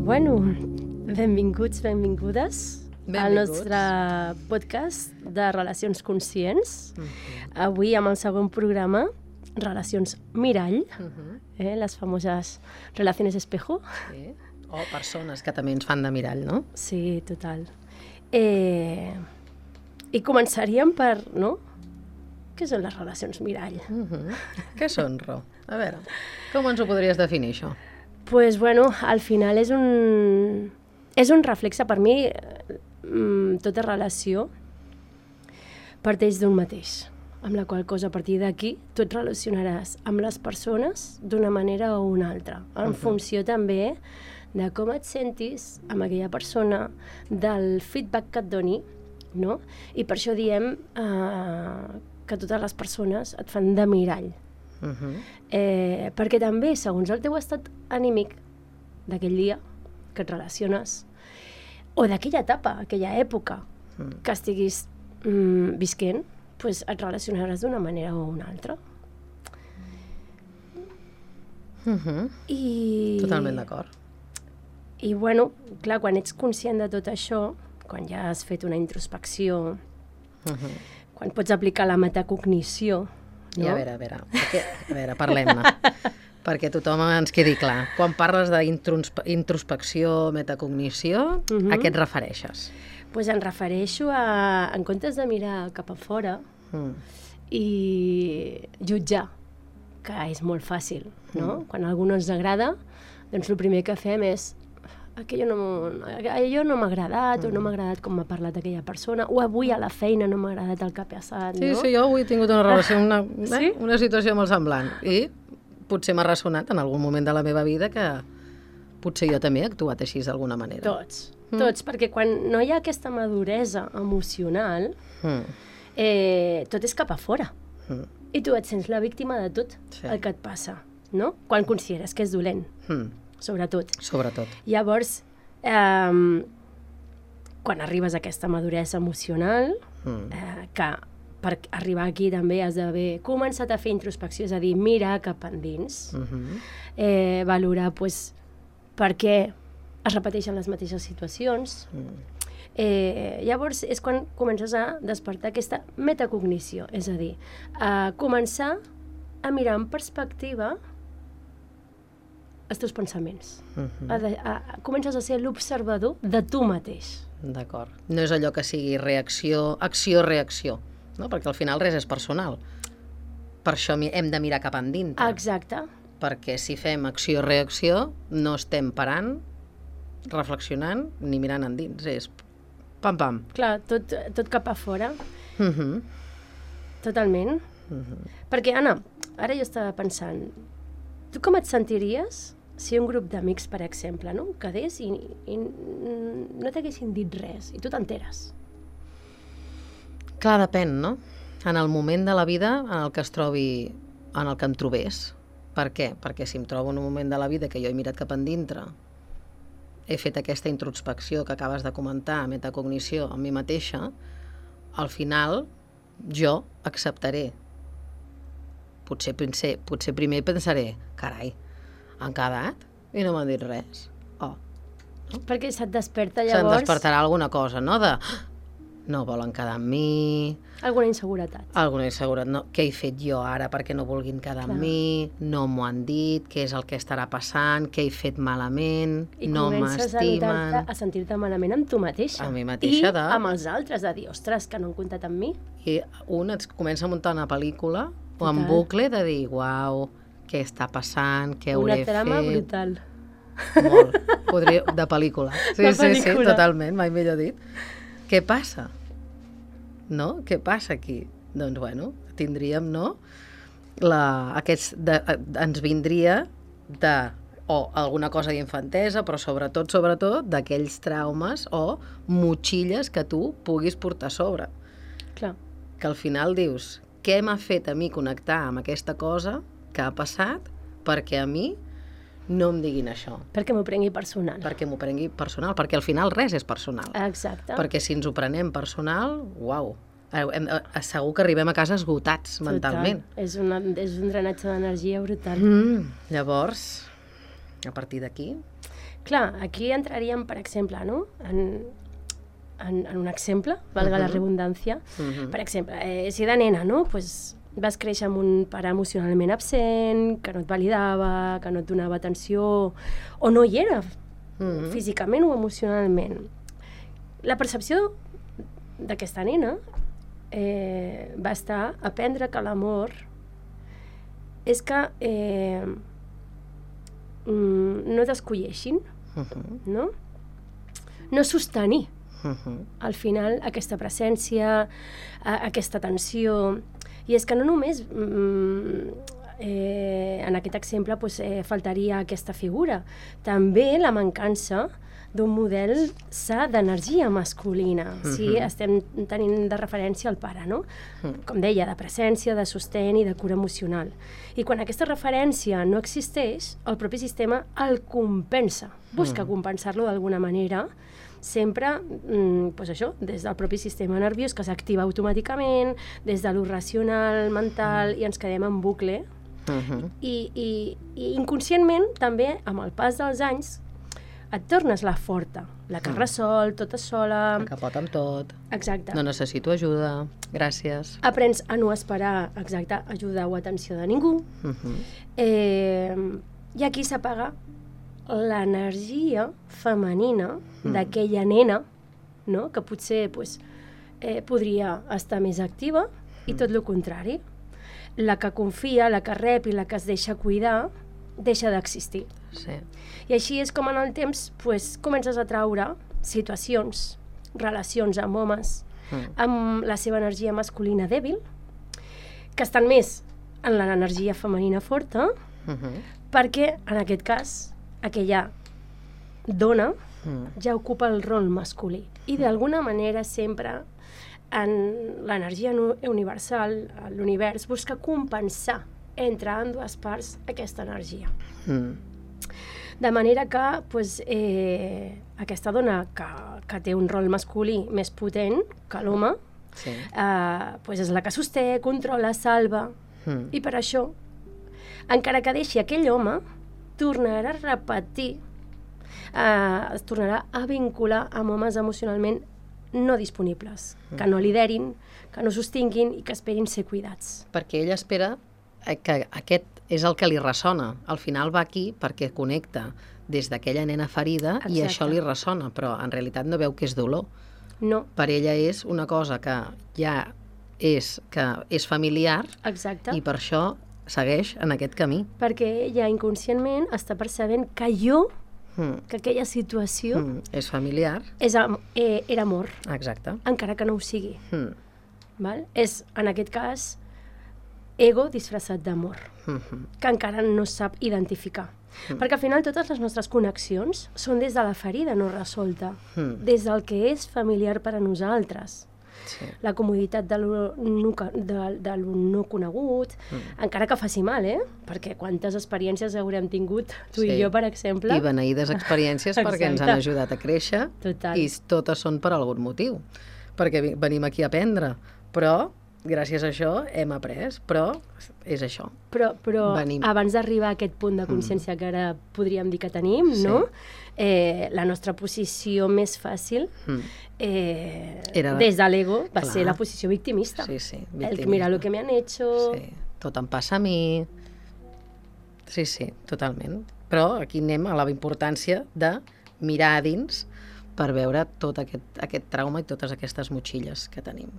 Bueno, benvinguts, benvingudes al nostre podcast de Relacions Conscients. Avui amb el segon programa, Relacions Mirall, les famoses Relaciones Espejo. Sí. O persones que també ens fan de mirall, no? Sí, total. I començaríem per, no? Què són les relacions mirall? Què són, Ro? A veure, com ens ho podries definir, això? Pues bueno, al final és un reflexe, per mi, tota relació parteix d'un mateix, amb la qual cosa a partir d'aquí tu et relacionaràs amb les persones d'una manera o una altra, en funció també de com et sentis amb aquella persona, del feedback que et doni, no? I per això diem que totes les persones et fan de mirall. Perquè també, segons el teu estat anímic d'aquell dia que et relaciones, o d'aquella etapa, aquella època que estiguis visquent, pues et relacionaràs d'una manera o una altra. Totalment d'acord. I bueno, clar, quan ets conscient de tot això, quan ja has fet una introspecció, quan pots aplicar la metacognició, no? I a veure, parlem-ne. Perquè tothom ens quedi clar. Quan parles d'introspecció, metacognició, a què et refereixes? Pues em refereixo a, en comptes de mirar cap a fora i jutjar, que és molt fàcil, no? Quan a algú no ens agrada, doncs el primer que fem és allò no m'ha agradat, o no m'ha agradat com m'ha parlat aquella persona, o avui a la feina no m'ha agradat el que ha passat, no? Sí, jo avui he tingut una relació, una situació molt semblant, i potser m'ha ressonat en algun moment de la meva vida que potser jo també he actuat així d'alguna manera. Tots, perquè quan no hi ha aquesta maduresa emocional, tot és cap a fora. I tu et sents la víctima de tot el que et passa, no? Quan consideres que és dolent. Sobretot. Llavors, quan arribes a aquesta maduresa emocional, que per arribar aquí també has d'haver començat a fer introspecció, és a dir, mirar cap endins, valorar per què es repeteixen les mateixes situacions. Llavors és quan comences a despertar aquesta metacognició, és a dir, a començar a mirar en perspectiva els teus pensaments. Comences a ser l'observador de tu mateix. D'acord. No és allò que sigui reacció, acció-reacció, no? Perquè al final res és personal. Per això hem de mirar cap endintre. Exacte. Perquè si fem acció-reacció no estem parant, reflexionant ni mirant endins. És pam-pam. Clar, tot cap a fora. Totalment. Perquè, Anna, ara jo estava pensant, tu com et sentiries si un grup d'amics, per exemple, no? Quedés i no t'haguessin dit res, i tu t'enteres? Clar, depèn, no? En el moment de la vida en el que em trobés. Per què? Perquè si em trobo en un moment de la vida que jo he mirat cap endintre, he fet aquesta introspecció que acabes de comentar, metacognició, amb mi mateixa, al final jo acceptaré. Potser primer pensaré, carai, han quedat i no m'han dit res. No? Perquè se't desperta llavors... Se't despertarà alguna cosa, no? No volen quedar amb mi... Alguna inseguretat. No. Què he fet jo ara perquè no vulguin quedar amb mi? No m'ho han dit, què és el que estarà passant, què he fet malament, no m'estimen... I comences a sentir-te malament amb tu mateixa. Amb mi mateixa, I amb els altres, de dir, ostres, que no han comptat amb mi. I un et comença a muntar una pel·lícula o en bucle de dir, uau, què està passant, què hauré fet... Una trama brutal. Molt. De pel·lícula. Sí, totalment, mai millor dit. Què passa? No? Què passa aquí? Doncs, bueno, tindríem, no? Ens vindria o alguna cosa d'infantesa, però sobretot, d'aquells traumes o motxilles que tu puguis portar a sobre. Clar. Que al final dius, què m'ha fet a mi connectar amb aquesta cosa que ha passat perquè a mi no em diguin això. Perquè m'ho prengui personal. Perquè al final res és personal. Exacte. Perquè si ens ho prenem personal, uau, segur que arribem a casa esgotats mentalment. És un drenatge d'energia brutal. Llavors, a partir d'aquí... Clar, aquí entraríem, per exemple, no? En un exemple, valga la redundància. Per exemple, si de nena, no? Pues vas créixer amb un pare emocionalment absent, que no et validava, que no et donava atenció, o no hi era, físicament o emocionalment. La percepció d'aquesta nena va estar a aprendre que l'amor és que no t'escolleixin, no? No sostenir al final aquesta presència, aquesta atenció. I és que no només en aquest exemple faltaria aquesta figura, també la mancança d'un model sa d'energia masculina. Si estem tenint de referència al pare, no? Com deia, de presència, de sostén i de cura emocional. I quan aquesta referència no existeix, el propi sistema el compensa, busca compensar-lo d'alguna manera, sempre, doncs això, des del propi sistema nerviós que s'activa automàticament, des de lo racional, mental, i ens quedem en bucle. I inconscientment, també, amb el pas dels anys, et tornes la forta, la que resol, tota sola. La que pot amb tot. Exacte. No necessito ajuda, gràcies. Aprens a no esperar, exacte, ajuda o atenció de ningú. I aquí s'apaga l'energia femenina d'aquella nena, no? Que potser podria estar més activa, i tot el contrari. La que confia, la que rep i la que es deixa cuidar, deixa d'existir. Sí. I així és com en el temps comences a traure situacions, relacions amb homes, amb la seva energia masculina dèbil, que estan més en l'energia femenina forta, perquè, en aquest cas, aquella dona ja ocupa el rol masculí. I d'alguna manera sempre en l'energia universal, l'univers, busca compensar entre ambdues parts aquesta energia. De manera que aquesta dona que té un rol masculí més potent que l'home és la que sosté, controla, salva. I per això, encara que deixi aquell home, tornarà a repetir, es tornarà a vincular amb homes emocionalment no disponibles, que no liderin, que no sostinguin i que esperin ser cuidats. Perquè ella espera que aquest és el que li ressona. Al final va aquí perquè connecta des d'aquella nena ferida. Exacte. I això li ressona, però en realitat no veu que és dolor. No. Per ella és una cosa que ja és familiar. Exacte. I per això segueix en aquest camí. Perquè ella inconscientment està percebent que que aquella situació és familiar. Era amor. Exacte. Encara que no ho sigui. Val? És, en aquest cas, ego disfressat d'amor, que encara no sap identificar. Perquè al final totes les nostres connexions són des de la ferida no resolta, des del que és familiar per a nosaltres. Sí. La comoditat de lo no conegut, encara que faci mal, perquè quantes experiències haurem tingut tu i jo, per exemple. I beneïdes experiències perquè ens han ajudat a créixer. Total. I totes són per algun motiu, perquè venim aquí a aprendre, però gràcies a això hem après, però és això. Però abans d'arribar a aquest punt de consciència que ara podríem dir que tenim, no? La nostra posició més fàcil des de l'ego va ser la posició victimista. Sí, victimista. El que mira lo que me han hecho... Sí, tot em passa a mi. Sí, totalment. Però aquí anem a la importància de mirar a dins per veure tot aquest trauma i totes aquestes motxilles que tenim.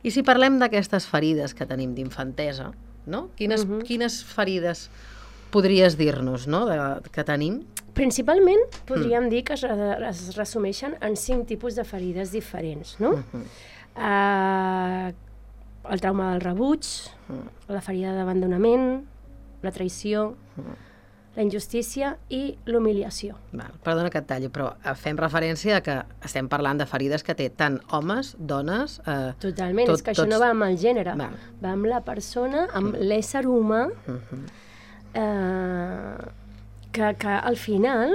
I si parlem d'aquestes ferides que tenim d'infantesa, no? Quines ferides podries dir-nos, no? Que tenim? Principalment podríem dir que es resumeixen en 5 tipus de ferides diferents, no? El trauma del rebuig, la ferida d'abandonament, la traïció, la injustícia i l'humiliació. Perdona que et talli, però fem referència a que estem parlant de ferides que té tant homes, dones... Totalment, és que això no va amb el gènere, va amb la persona, amb l'ésser humà, que al final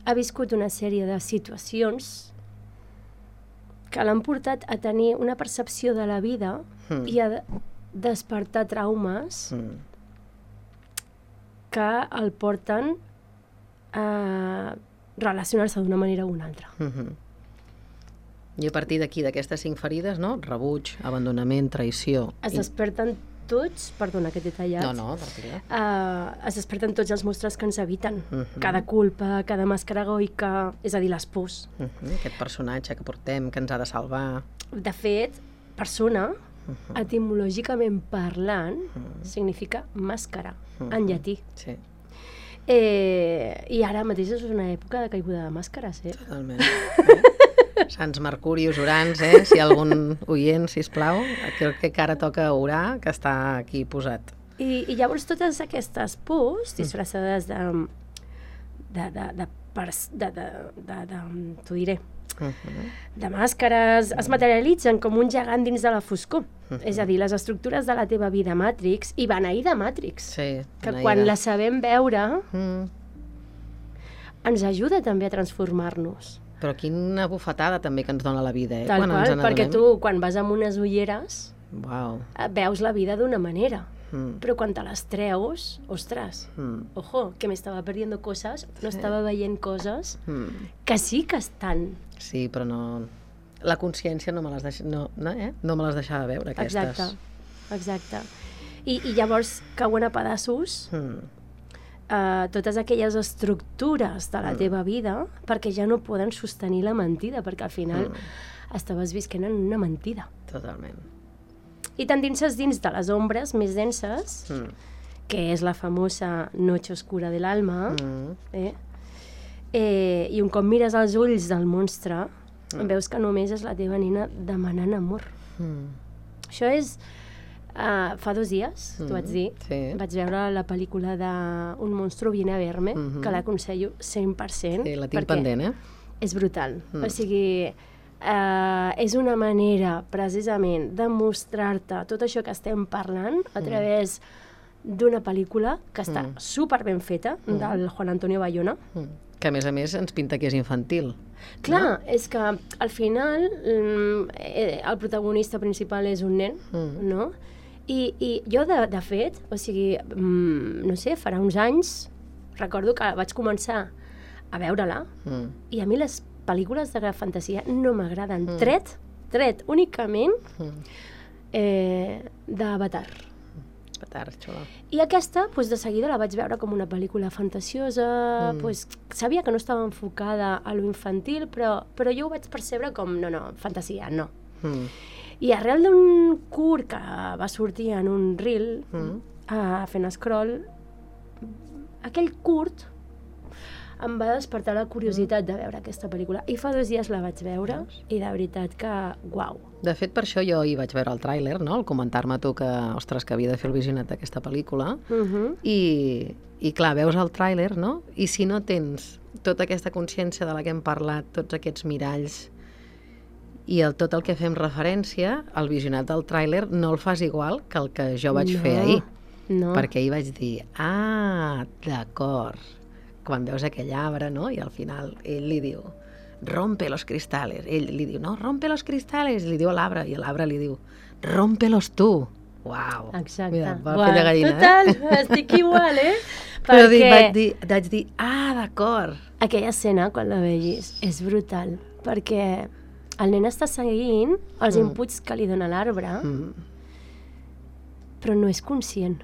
ha viscut una sèrie de situacions que l'han portat a tenir una percepció de la vida i a despertar traumes que el porten relacionar-se d'una manera o una altra. I a partir d'aquí, d'aquestes 5 ferides, no? Rebuig, abandonament, traïció... Es desperten tots, perdona que t'he tallat, No, tranquil·la. es desperten tots els monstres que ens habiten. Cada culpa, cada màscara egoica, és a dir, les pors. Aquest personatge que portem, que ens ha de salvar... De fet, persona, etimològicament parlant, significa màscara, en llatí. Sí. I ara mateix és una època de caiguda de màscares, Totalment. Sants Mercuri, Urans, si hi ha algun oient, sisplau, crec que ara toca orar, que està aquí posat. I llavors totes aquestes pors, disfressades t'ho diré, de màscares, es materialitzen com un gegant dins de la foscor. És a dir, les estructures de la teva vida Matrix, i beneïda Matrix, que quan la sabem veure, ens ajuda també a transformar-nos. Però quina bufetada també que ens dona la vida, Tal qual, perquè tu, quan vas amb unes ulleres, veus la vida d'una manera. Però quan te les treus, ostres, ojo, que m'estava perdent coses, no estava veient coses que sí que estan. Sí, però no... La consciència no me les deixava veure, aquestes. Exacte. I llavors cauen a pedaços totes aquelles estructures de la teva vida perquè ja no poden sostenir la mentida, perquè al final estaves visquent en una mentida. Totalment. I t'endinses dins de les ombres més denses, que és la famosa noche oscura de l'alma, i un cop mires als ulls del monstre, veus que només és la teva nena demanant amor. Això és... fa 2 dies, t'ho vaig dir, vaig veure la pel·lícula d'Un monstruo viene a verme, que l'aconsello 100%. Sí, la tinc pendent, És brutal. O sigui, és una manera, precisament, de mostrar-te tot això que estem parlant a través d'una pel·lícula que està super ben feta, del Juan Antonio Bayona. Que, a més, ens pinta que és infantil. Clar, és que al final el protagonista principal és un nen, no? I jo, de fet, o sigui, no sé, farà uns anys, recordo que vaig començar a veure-la, i a mi les pel·lícules de fantasia no m'agraden, tret únicament d'Avatar. I aquesta, de seguida la vaig veure com una pel·lícula fantasiosa, sabia que no estava enfocada a lo infantil, però jo ho vaig percebre com, no, fantasia, no. I arrel d'un curt que va sortir en un reel, fent scroll, aquell curt em va despertar la curiositat de veure aquesta pel·lícula. I fa 2 dies la vaig veure i de veritat que, uau. De fet, per això jo hi vaig veure el tràiler, no? Al comentar-me tu que, ostres, que havia de fer el visionat d'aquesta pel·lícula. I clar, veus el tràiler, no? I si no tens tota aquesta consciència de la que hem parlat, tots aquests miralls, i tot el que fem referència, el visionat del tràiler no el fas igual que el que jo vaig fer ahir. Perquè ahir vaig dir, d'acord, quan veus aquell arbre, no? I al final ell li diu, rompe los cristales. Ell li diu, no, rompe los cristales. Li diu a l'arbre, i l'arbre li diu, rompelos tu. Uau. Exacte. Mira, va fer de gallina. Total, estic igual, Però vaig dir, d'acord. Aquella escena, quan la vegis, és brutal, perquè el nen està seguint els inputs que li dona l'arbre, però no és conscient.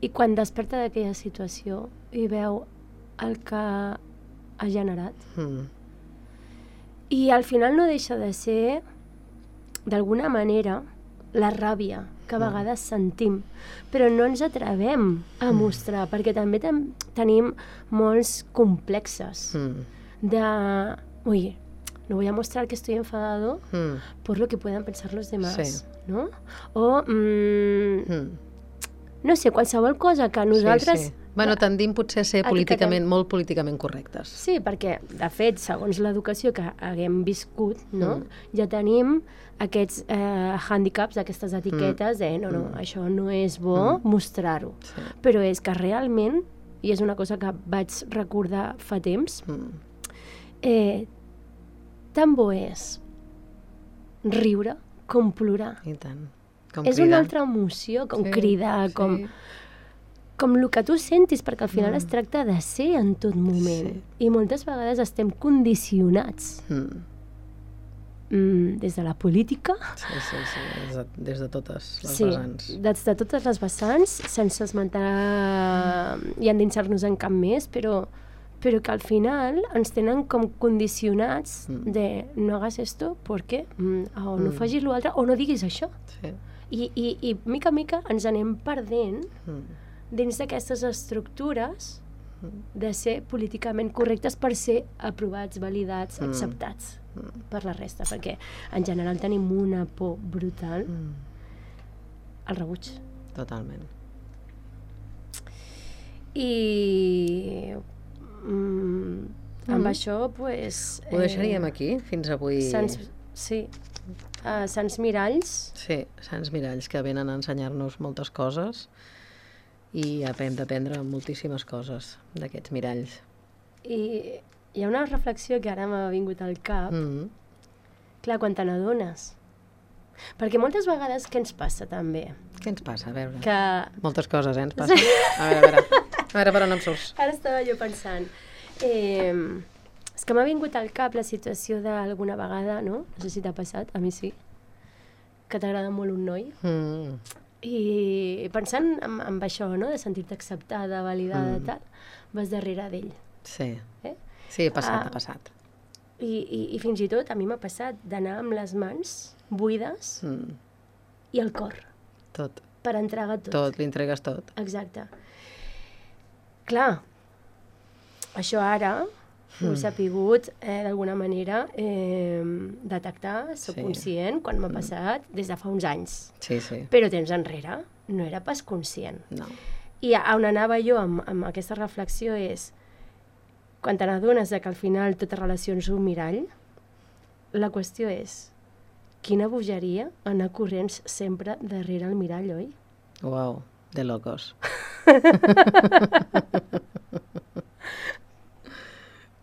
I quan desperta d'aquella situació i veu el que ha generat. I al final no deixa de ser, d'alguna manera, la ràbia que a vegades sentim, però no ens atrevem a mostrar, perquè també tenim molts complexes de... Ui, no voy a mostrar que estoy enfadado por lo que puedan pensar los demás, ¿no? O, no sé, qualsevol cosa que nosaltres... Bueno, tendim potser a ser molt políticament correctes. Sí, perquè, de fet, segons l'educació que haguem viscut, no? Ja tenim aquests hàndicaps, aquestes etiquetes de no, això no és bo mostrar-ho. Però és que realment, i és una cosa que vaig recordar fa temps, tan bo és riure com plorar. I tant. És una altra emoció, com cridar, com el que tu sentis, perquè al final es tracta de ser en tot moment. I moltes vegades estem condicionats des de la política. Sí, des de totes les vessants. Sí, des de totes les vessants, sense esmentar i endinsar-nos en cap més, però que al final ens tenen com condicionats de no hagas esto porque o no facis l'altre o no diguis això. Sí. I mica en mica ens anem perdent dins d'aquestes estructures de ser políticament correctes per ser aprovats, validats, acceptats per la resta, perquè en general tenim una por brutal al rebuig. Totalment. I amb això, pues... Ho deixaríem aquí, fins avui. Sí. Sants miralls. Sí, sants miralls que venen a ensenyar-nos moltes coses i hem d'aprendre moltíssimes coses d'aquests miralls. I hi ha una reflexió que ara m'ha vingut al cap. Clar, quan te n'adones. Perquè moltes vegades què ens passa també? Què ens passa? A veure. Que... Moltes coses, ens passa. A veure per on em surts. Ara estava jo pensant. És que m'ha vingut al cap la situació d'alguna vegada, no? No sé si t'ha passat, a mi sí. Que t'agrada molt un noi. I pensant en això, no? De sentir-te acceptada, validada, tal, vas darrere d'ell. Sí. Sí, ha passat. I fins i tot a mi m'ha passat d'anar amb les mans buides i el cor. Tot. Per entregar tot. Tot, li entregues tot. Exacte. Clar, això ara ho he sapigut d'alguna manera detectar, soc conscient, quan m'ha passat des de fa uns anys. Sí. Però temps enrere no era pas conscient. No. I on anava jo amb aquesta reflexió és, quan te n'adones que al final tota relació és un mirall, la qüestió és, quina bogeria anar corrents sempre darrere el mirall, oi? Uau, de locos.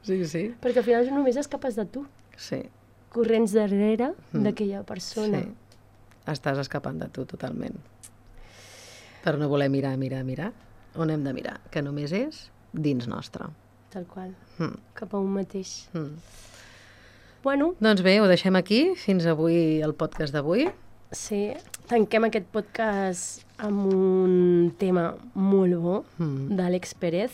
Sí. Perquè al final només escapes de tu. Sí. Corrents darrere d'aquella persona. Sí. Estàs escapant de tu totalment. Per no voler mirar. On hem de mirar? Que només és dins nostre. Tal qual. Cap a un mateix. Bueno. Doncs bé, ho deixem aquí. Fins avui el podcast d'avui. Sí. Tanquem aquest podcast amb un tema molt bo d'Àlex Pérez,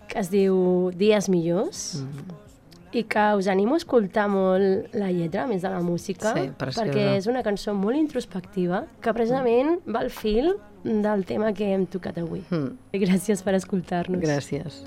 que es diu Dies millors, i que us animo a escoltar molt la lletra, a més de la música, perquè és una cançó molt introspectiva, que precisament va al fil del tema que hem tocat avui. Gràcies per escoltar-nos. Gràcies.